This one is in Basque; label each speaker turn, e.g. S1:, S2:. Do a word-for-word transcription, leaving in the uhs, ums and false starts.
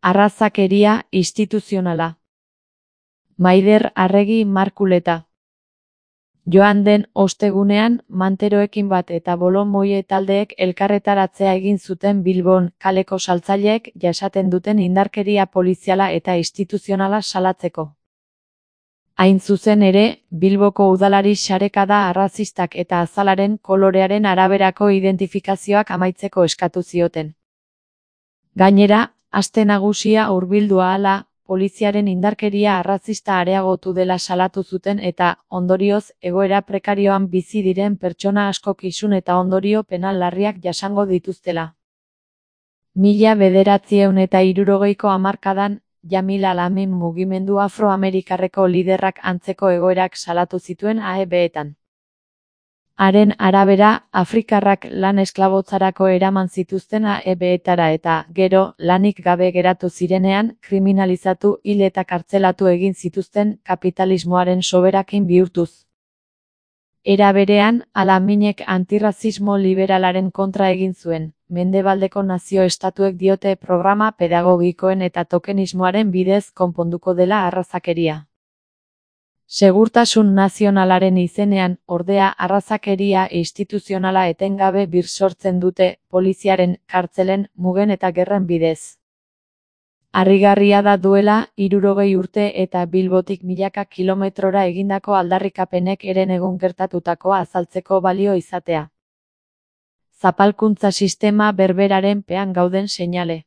S1: Arrazakeria instituzionala. Maider Arregi Markuleta. Joan den ostegunean, manteroekin bat eta bolomoie taldeek elkarretaratzea egin zuten Bilbon, kaleko saltzaileek jasaten duten indarkeria poliziala eta instituzionala salatzeko. Hain zuzen ere, Bilboko udalari sarekada arrazistak eta azalaren kolorearen araberako identifikazioak amaitzeko eskatu zioten. Gainera, aste nagusia hurbildu ahala, poliziaren indarkeria arrazista areagotu dela salatu zuten eta, ondorioz, egoera prekarioan bizi diren pertsona askok isun eta ondorio penal larriak jasango dituztela. Mila bederatziehun eta hirurogeiko hamarkadan, Jamil Alamin mugimendu afroamerikarreko liderrak antzeko egoerak salatu zituen A E B-etan. Haren arabera, afrikarrak lan esklabotzarako eraman zituzten A E B-etara eta, gero, lanik gabe geratu zirenean, kriminalizatu, hil eta kartzelatu egin zituzten kapitalismoaren soberakin bihurtuz. Era berean, Alaminek antirrazismo liberalaren kontra egin zuen, Mendebaldeko nazio-estatuek diote programa pedagogikoen eta tokenismoaren bidez konponduko dela arrazakeria. Segurtasun nazionalaren izenean, ordea arrazakeria instituzionala etengabe birsortzen dute, poliziaren, kartzelen, mugen eta gerren bidez. Harrigarria da duela, hirurogei urte eta Bilbotik milaka kilometrora egindako aldarrikapenek eren egun gertatutakoa azaltzeko balio izatea. Zapalkuntza sistema berberaren pean gauden seinale.